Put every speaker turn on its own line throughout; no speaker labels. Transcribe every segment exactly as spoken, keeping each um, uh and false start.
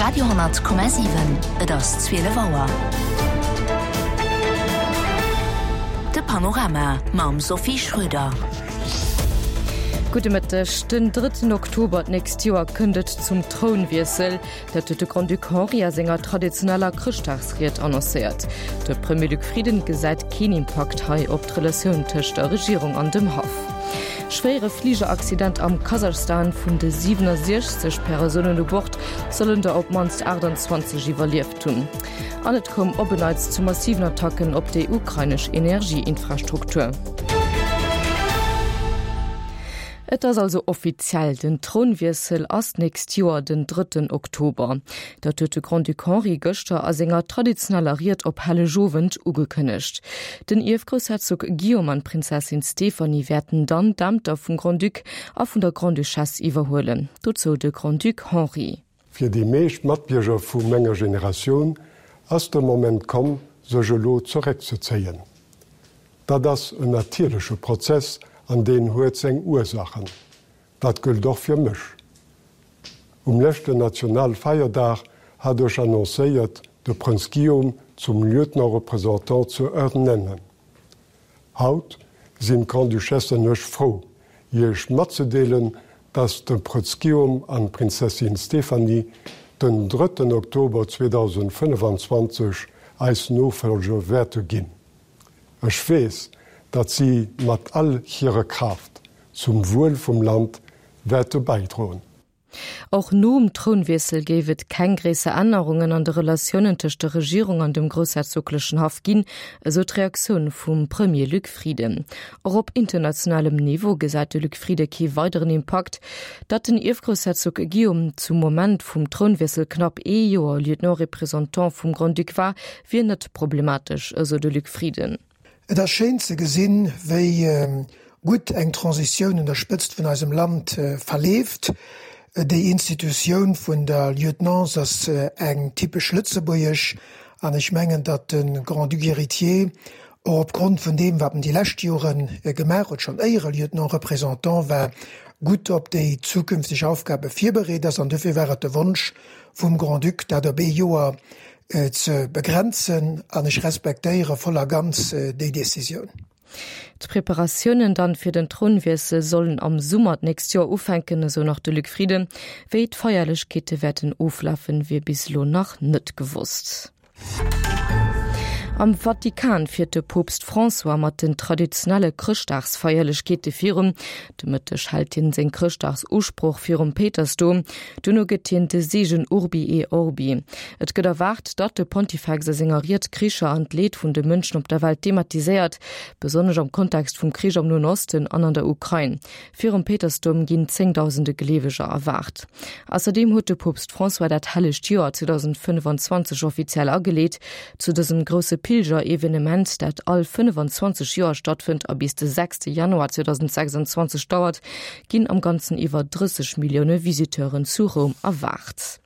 Radio honnert Komma siwen, Et ass zwielef Auer. De Panorama mam Sophie Schröder.
Gudde Mëtteg. Den drëtten Oktober d'nächst Joer kënnt et zum Trounwiessel. Dat huet de Grand-Duc Henri a senger traditioneller Chrëschtdagsried annoncéiert. De Premier Luc Frieden gesäit keen Impakt hei op d'Relatioun tëscht der Regierung an dem Haff. Schwéiere Fligeraccident am Kasachstan, Vun de siwenosiechzeg Persounen u Bord sollen der op d'mannst aachtanzwanzeg iwwerlieft hunn. An et koum op en Neits zu massiven Attacken op déi ukrainesch Energieinfrastruktur. Et ass also offiziell, den Trounwiessel ass d'nächst Joer den drëtten Oktober. Dat huet de Grand-Duc Henri gëschter a senger traditioneller Ried op Hellegowend ugekënnegt. Den Ierfgroussherzog Guillaume an d'Prinzessin Stéphanie wäerten dann d'Ämter vum Grand-Duc a vun der Grande-Duchesse iwwerhuelen. Dozou de Grand-Duc Henri.
Fir déi meescht Matbierger vu menger Generatioun ass de Moment komm, sech elo zeréckzezéien. Dat ass en natierleche Prozess an deen huet seng Ursaachen. Dat gëllt och fir mech. Um leschten Nationalfeierdag hat ech annoncéiert, de Prënz Guillaume zum Lieutenant-représentant ze ernennen. Haut sinn d'Grande-Duchesse an ech frou, Iech matzedeelen, dass de Prënz Guillaume an d'Prinzessin Stéphanie den drëtten Oktober zweedausendfënnefanzwanzeg eis Nofollger wäerte ginn. Ech weess, datt si mat all hirer Kraaft zum Wuel vum Land wäerte bäidroen.
Och nom Trounwiessel géif et keng gréisser Ännerungen an de Relatiounen tëscht der Regierung an dem groussherzoglechen Haff ginn, esou d'Reaktioun vum Premier Luc Frieden. Och op internationalem Niveau gesäit de Luc Frieden kee weideren Impakt. Datt den Ierfgroussherzog Guillaume zum Moment vum Trounwiessel knapp ee Joer Lieutenant-représentant vum Grand-Duc war, wier net problematesch, esou de Luc Frieden.
Et ass schéin ze gesinn, wéi gutt eng Transitioun un der Spëtzt vun eisem Land verleeft. Déi Institutioun vun der Lieutenance ass eng typesch lëtzebuergesch an ech mengen, datt de Grand-Duc héritier och opgrond vun deem, wat en déi lescht Jore gemaach huet, schonn éier e Lieutenant représentant war, gutt op déi zukünfteg Aufgabe virbereet ass. An dofir war et de Wonsch vum Grand-Duc, dat op ee Joer ze begrenzen an ech respektéiere voll a ganz déi Decisioun.
D'Preparatiounen dann fir den Trounwiessel sollen am Summer d'nächst Joer ufänken, esou nach de Luc Frieden. Wéi d'Feierlechkeete wäerten oflafen, wier bis elo nach net gewosst. Am Vatikan fiert de Poopst François mat den traditionelle Chrëschtdagsfeierlechkeete virun. De Mëtteg hält hien seng Chrëschtdagsusprooch virum Péitersdom. Duerno gëtt hien de Seegen Urbi et Orbi. Et gëtt erwaart, datt de Pontifex a senger Ried d'Kricher an d'Leed vun de Mënschen op der Welt thematiséiert, besonnesch am Kontext vum Krich am Noen Osten an an der Ukrain. Virum Péitersdoum ginn zéngdausende Gleeweger erwaart. Ausserdeem huet de Poopst François dat hellegt Joer zweedausendfënnefenzwanzeg offiziell ageleet. Zu dësem grousse Pilgerevenement, dat all fënnefenzwanzeg Joer stattfënnt a bis de sechste Januar zweedausendsechsanzwanzeg dauert, ginn am Ganzen iwwer drësseg Millioune Visiteuren zu Roum erwaart.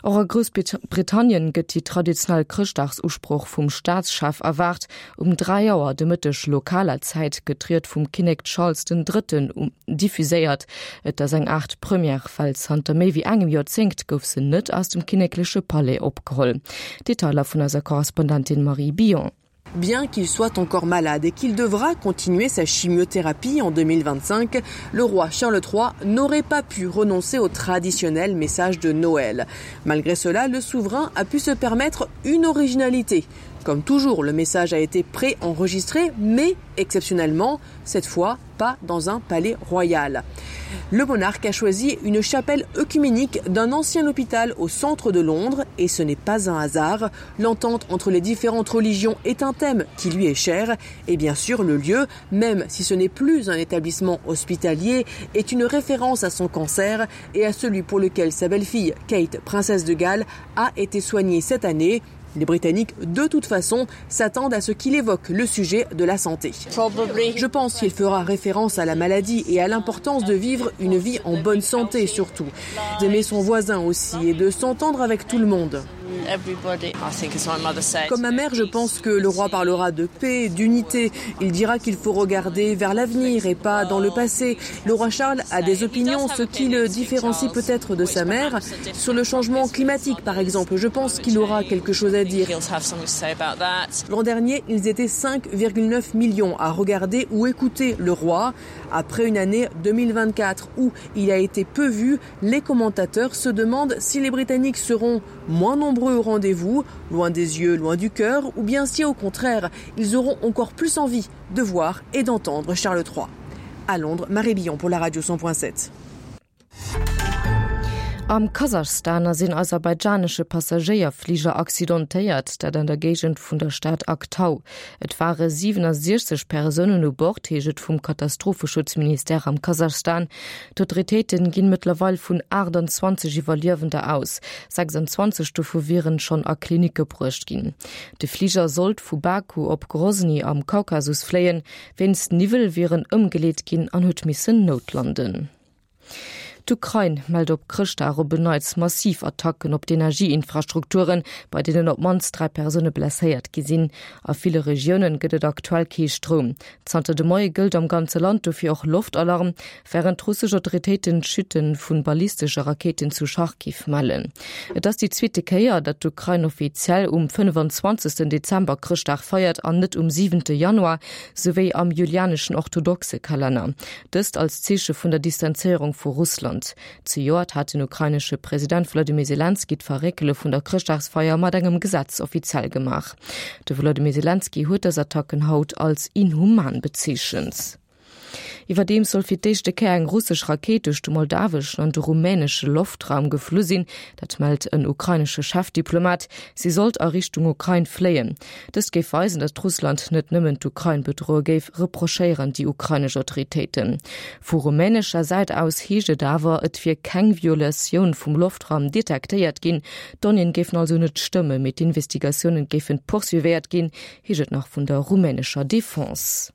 Och a Groussbritannien gëtt déi traditionell Chrëschtdagsusprooch vum Staatschef erwaart. Um dräi Auer de Mëtteg lokaler Zäit gëtt d'Ried vum Kinnek Charles den Drëtten diffuséiert. Et ass eng Aart Première, well zanter méi wéi engem Joerzéngt gouf se net aus dem kinnekleche Palais opgeholl. Detailer vun eiser Korrespondentin Marie Billon.
Bien qu'il soit encore malade et qu'il devra continuer sa chimiothérapie en deux mille vingt-cinq, le roi Charles trois n'aurait pas pu renoncer au traditionnel message de Noël. Malgré cela, le souverain a pu se permettre une originalité. Comme toujours, le message a été préenregistré, mais exceptionnellement, cette fois pas dans un palais royal. Le monarque a choisi une chapelle œcuménique d'un ancien hôpital au centre de Londres et ce n'est pas un hasard. L'entente entre les différentes religions est un thème qui lui est cher et bien sûr le lieu, même si ce n'est plus un établissement hospitalier, est une référence à son cancer et à celui pour lequel sa belle-fille Kate, princesse de Galles, a été soignée cette année. Les Britanniques, de toute façon, s'attendent à ce qu'il évoque le sujet de la santé. Je pense qu'il fera référence à la maladie et à l'importance de vivre une vie en bonne santé surtout, d'aimer son voisin aussi et de s'entendre avec tout le monde. Comme ma mère, je pense que le roi parlera de paix, d'unité. Il dira qu'il faut regarder vers l'avenir et pas dans le passé. Le roi Charles a des opinions, ce qui le différencie peut-être de sa mère. Sur le changement climatique, par exemple, je pense qu'il aura quelque chose à dire. L'an dernier, ils étaient cinq virgule neuf millions à regarder ou écouter le roi. Après une année deux mille vingt-quatre où il a été peu vu, les commentateurs se demandent si les Britanniques seront moins nombreux au rendez-vous, loin des yeux, loin du cœur, ou bien si au contraire, ils auront encore plus envie de voir et d'entendre Charles trois. À Londres, Marie Billon pour la radio cent point sept.
Am Kasachstan ass een aserbaidschanesche Passagéierfliger accidentéiert, dat an der Géigend vun der Stad Aktau. Et ware siwenundsechzeg Persounen u Bord, heescht et vum Katastropheschutzministère am Kasachstan. D'Autoritéite ginn mëttlerweil vun aachtanzwanzeg Iwwerliewender aus, sechsundzwanzeg dovu wieren schonn a Klinicke bruecht ginn. De Fliger sollt vu Baku op Grosny am Kaukasus fléien, wéinst Niwwel wier en ëmgeleet ginn an huet missen noutlanden. D'Ukrain mellt op Chrëschtdag op en Neits massiv Attacken op d'Energieinfrastrukturen, bei deenen op d'mannst dräi Persoune blesséiert gi sinn. A ville Regioune gëtt et aktuell kee Stroum. Zanter de Moie gëllt am ganze Land dofir och Loftalarm, wärend russesch Autoritéiten Chute vu ballistesche Rakéiten zu Charkiw mellen. Et ass déi zweete Kéier, datt d'Ukrain offiziell um fënnefanzwanzegsten Dezember Chrëschtdag feiert an net um siwente Januar, sou wéi am julianeschen orthodoxe Kalenner. Dëst als Zeeche vun der Distanzéierung vu Russland. Zejoert hat den ukrainesche President Wladimir Selenskyj d'Verréckele vun der Chrëschtdagsfeier mat engem Gesetz offiziell gemaach. De Wladimir Selenskyj huet dës Attacken haut als inhuman bezeechent. Iwwerdeems soll fir d'éischte Kéier eng russesch Rakéit duerch de moldaweschen an de rumänesche Loftraum geflu sinn. Dat mellt en ukrainesche Chefdiplomat. Si sollt a Richtung Ukrain fléien. Dëst géif weisen, datt Russland net nëmmen d'Ukrain bedroe géif, reprochéieren déi ukrainesch Autoritéiten. Vu rumänescher Säit aus heescht et awer, et wier keng Violatioun vum Loftraum detektéiert ginn. D'Donnéeën géifen also net stëmmen, mee d'Investigatiounen géifen poursuivéiert ginn, heescht et nach vun der rumänescher Defense.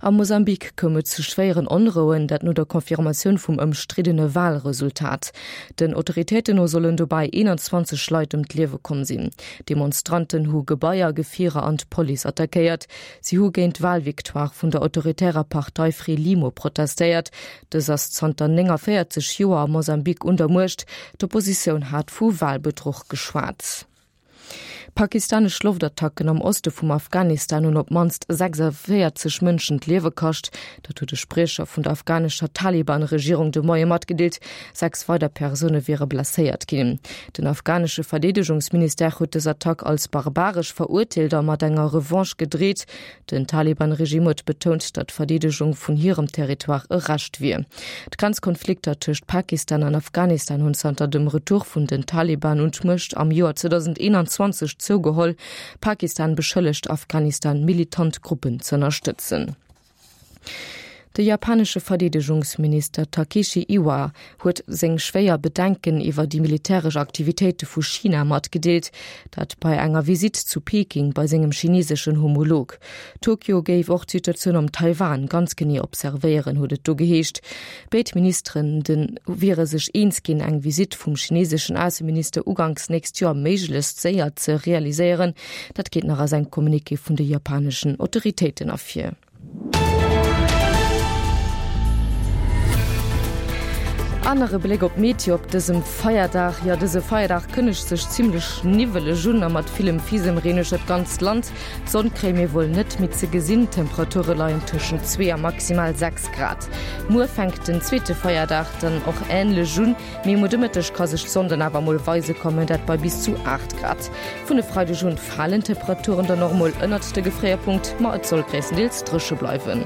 Am Mosambik koum et zu schwéieren Onrouen, dat no der Confirmatioun vum ëmstriddene Walresultat. Den Autoritéiten no sollen dobäi eenanzwanzeg Leit ëm d'Liewe komm sinn. Demonstranten hu Gebaier, Gefierer an d'Police attackéiert. Si hu géint d'Walvictoire vun der autoritärer Partei Frelimo protestéiert. Dës ass zanter néngavéierzeg Joer am Mosambik un der Muecht. D'Oppositioun hat vu Walbedruch geschwat. Pakistanesch Loftattacken am Oste vum Afghanistan hunn op d'mannst sechsavéierzeg Mënschen d'Liewe kascht. Dat huet e Spriecher vun der afghanescher Taliban-Regierung de Moie matgedeelt. Sechs weider Persoune wiere blesséiert ginn. Den afghanesche Verdeedegungsministère huet dës Attack als barbaresch verurteelt a mat enger Revanche gedreet. Den Taliban-Regime huet betount, datt d'Verdeedegung vun hirem Territoire e Recht wier. D'Grenzkonflikter tëscht Pakistan an Afghanistan hunn zanter dem Retour vun den Taliban un d'Muecht am Joer zweedausendeenanzwanzeg zougeholl. Pakistan beschëllegt Afghanistan, militant Gruppen z'ënnerstëtzen. De japanesche Verdeedegungsminister Takeshi Iwaya huet seng schwéier Bedenken iwwer déi militäresch Aktivitéite vu China matgedeelt, dat bei enger Visitt zu Peking bei sengem chineseschen Homolog. Tokio géif och d'Situatioun am Taiwan ganz genee observéieren, huet et do geheescht. Béid Ministeren de wiere sech eens ginn, eng Visitt vum chineseschen Ausseminister uganks nächst Joer méiglechst séier ze realiséieren. Dat geet nach aus engem Communiqué vun de japaneschen Autoritéiten ervir. An nach e Bléck op d'Meteo op dësem Feierdag. Jo, dëse Feierdag kënnegt sech zimmlech niwweleg un a mat villem Fisemreen uechter d'ganzt Land. D'Sonn kréie mir wuel net méi ze gesinn, d'Temperature leien tëschent zwee a maximal sechs Grad. Muer fänkt den zweete Feierdag dann och änlech un, mee muer de Mëtteg ka sech d'Sonn dann awer mol weise kommen, dat bei bis zu aacht Grad. Vun e Freideg un falen d'Temperaturen dann och mol ënnert de Gefréierpunkt, ma et soll gréisstendeels dréche bleiwen.